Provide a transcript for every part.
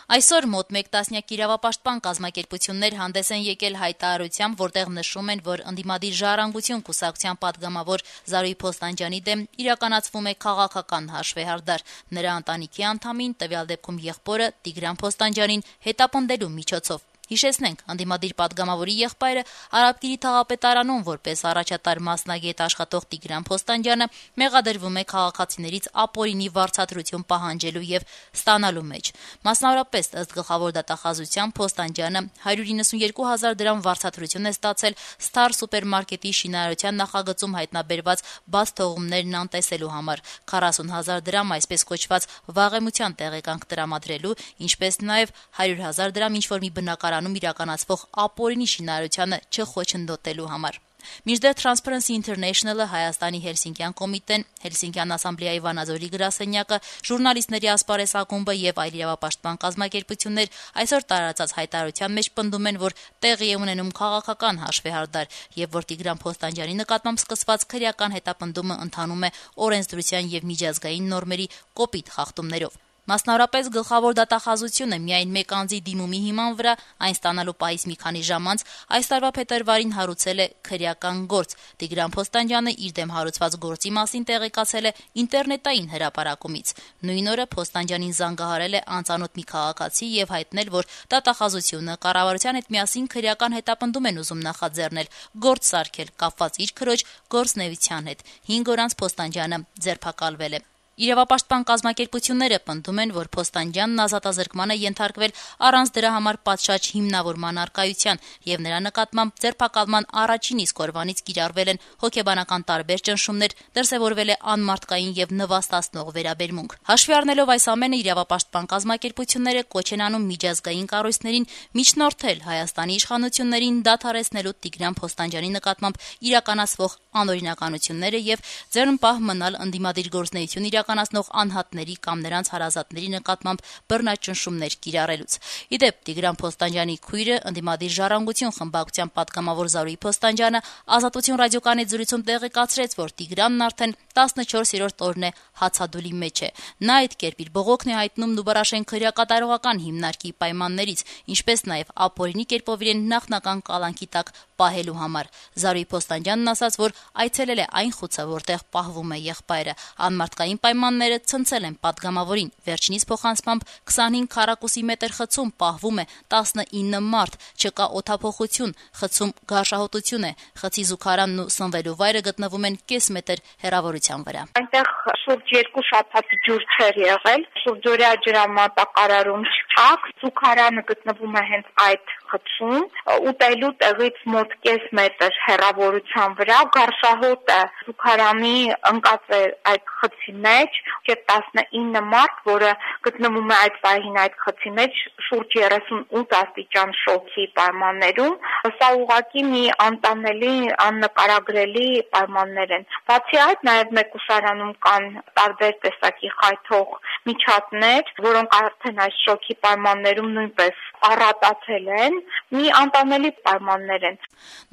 Այսօր մոտ 1 տասնյակ իրավապաշտպան կազմակերպություններ հանդես են եկել հայտարարությամբ, որտեղ նշում են, որ ընդդիմադիր «Ժառանգություն» կուսակցության պատգամավոր Զարուհի Փոստանջյանի դեմ իրականացվում է քաղաքական հաշվեհարդար, նրա ընտանիքի անդամին, տվյալ դեպքում եղբորը Տիգրան Փոստանջյանին հետապնդելու միջոցով։ Հիշեցնենք, ընդդիմադիր պատգամավորի եղբայրը Արաբկիրի թաղապետարանում որպես առաջատար մասնագետ աշխատող Տիգրան Փոստանջյանը մեղադրվում է քաղաքացիներից ապօրինի վարձատրություն պահանջելու եւ ստանալու մեջ։ Մասնավորապես, ըստ գլխավոր դատախազության, Փոստանջյանը 192 000 դրամ վարձատրություն է ստացել Star սուպերմարկետի շինարարության նախագծում հայտնաբերված բաց թողումներն անտեսելու համար, 40 000 դրամ այսպես կոչված վաղեմության տեղեկանք տրամադրելու, ինչպես նաեւ 100 000 դրամ ինչ-որ մի բնակարանում իրականացվող ապօրինի շինարարությանը չխոչընդոտելու համար։ Մինչդեռ Transparency International-ը, Հայաստանի Հելսինկյան կոմիտեն, Հելսինկյան ասամբլեայի Վանաձորի գրասենյակը, ժուրնալիստների ասպարեզ ակումբը եւ այլ իրավապաշտպան կազմակերպություններ այսօր տարածած հայտարարության մեջ պնդում են, որ տեղի է ունենում քաղաքական հաշվեհարդար եւ որ Տիգրան Փոստանջյանի նկատմամբ սկսված քրեական հետապնդումը ընթանում է օրենսդրության եւ միջազգային նորմերի կոպիտ խախտումներով։ Մասնավորապես գլխավոր դատախազությունը միայն մեկ անձի դիմումի հիման վրա այն ստանալու պահից մի քանի ժամ անց այս տարվա փետրվարին հարուցել է քրեական գործ։ Տիգրան Փոստանջյանը իր դեմ հարուցված գործի մասին տեղեկացել է ինտերնետային հրապարակումից։ Նույն օրը Փոստանջյանին զանգահարել է անծանոթ մի քաղաքացի եւ հայտնել, որ դատախազությունը կառավարության հետ միասին քրեական հետապնդում են ուզում նախաձեռնել գործ սարքել կապված իր քրոջ գործնեության հետ։ 5 օր անց Փոստանջյանը ձերբակալվել է։ Իրավապաշտպան կազմակերպությունները պնդում են, որ Փոստանջյանն ազատազրկման է ենթարկվել առանց դրա համար պատշաճ հիմնավորման առկայության եւ նրա նկատմամբ ձերբակալման առաջին իսկ օրվանից կիրառվել են հոգեբանական տարբեր ճնշումներ, դրսեւորվել է անմարդկային եւ նվաստացնող վերաբերմունք։ Հաշվի առնելով այս ամենը, իրավապաշտպան կազմակերպությունները կոչ են անում միջազգային կառույցներին միջնորդել Հայաստանի իշխանություններին դադարեցնելու Տիգրան Փոստանջյանի նկատմամբ իրականացվող անօրինականությունները եւ ձեռնպահ մնալ ընդդիմադիր գործունեություն իրականացնող անհատների կամ նրանց հարազատների նկատմամբ բռնաճնշումներ կիրառելուց։ Իդեպ Տիգրան Փոստանջյանի քույրը ընդդիմադիր «Ժառանգություն» խմբակցության պատգամավոր Զարուհի Փոստանջյանը Ազատություն ռադիոկայանի զրույցում տեղեկացրեց, որ Տիգրանն արդեն 14-րդ օրն է հացադուլի մեջ է։ Նա այդ կերպ իր բողոքն է հայտնում Նուբարաշեն քրեակատարողական հիմնարկի պայմաններից, ինչպես նաև ապօրինի կերպով իրեն նախնական կալանքի տակ պահելու համար։ Զարուհի Փոստանջյանն ասաց, որ այցելել է այն խուցը, որտեղ պահվում է եղբայրը։ Անմարդկային պայմանները ցնցել են պատգամավորին։ Վերջինիս փոխանցմամբ 25 քառակուսի մետր խցում պահվում է 19 մարդ, չկա օդափոխություն, խցում գարշահոտություն է, խցի զուգարանն ու սնվելու վայրը գտնվում են կես մետր հեռավորության վրա։ Այնտեղ շուրջ 2 շաբաթ ջուր չէր եղել, շուրջօրյա ջրամատակարարում չկա, զուգարանը գտնվում է հենց այդ խցում, ուտելու տեղից մոտ կես մետր հեռավորության վրա, գարշահոտը զուգարանի ընկած է այդ խցի մեջ, եւ 19 մարդ, որը գտնվում է այդ պահին այդ խցի մեջ, շուրջ 38 աստիճան շոկի պայմաններում, սա ուղղակի մի անտանելի, աննկարագրելի պայմաններ են։ Բացի այդ, նաև մեկուսարանում կան տարբեր տեսակի խայթող միջատներ, որոնք արդեն այս շոկի պայմաններում նույնպես առատացել են, մի անտանելի պայմաններ են։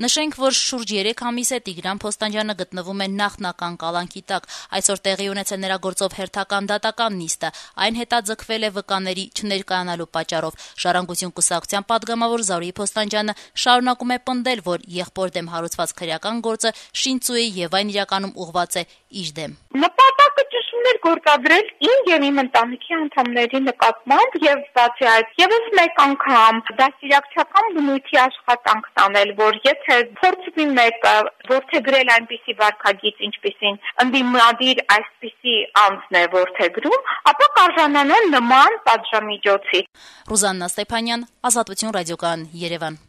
Նշենք, որ շուրջ 3 ամիս է Տիգրան Փոստանջյանը գտնվում է նախնական կալանքի տակ։ Այսօր տեղի ունեցել նրա գործով հերթական դատական նիստը։ Այն հետաձգվել է վկաների չներկայանալու պատճառով։ Ժառանգություն կուսակցության պատգամավոր Զարուհի Փոստանջյանը շարունակում է պնդել, որ եղբոր դեմ հարուցված քրեական գործը շինծու է եւ այն իրականում ուղղված է իր դեմ։ Նպատակը ճնշումներ գործադրել իմ եւ իմ ընտանիքի անդամների նկատմամբ եւ բացի այդ եւս մեկ անգամ դաստիարակչական բնույթի աշխատանք տանել, որ եթե փորձվի մեկը որդեգրել այնպիսի վարքագիծ, ինչպիսին ընդդիմադիր այսպիսի անձն է որդեգրում, ապա կարժանանան նման պատժամիջոցի։ Ռուզաննա Ստեփանյան, Ազատություն ռադիոկայան, Երևան։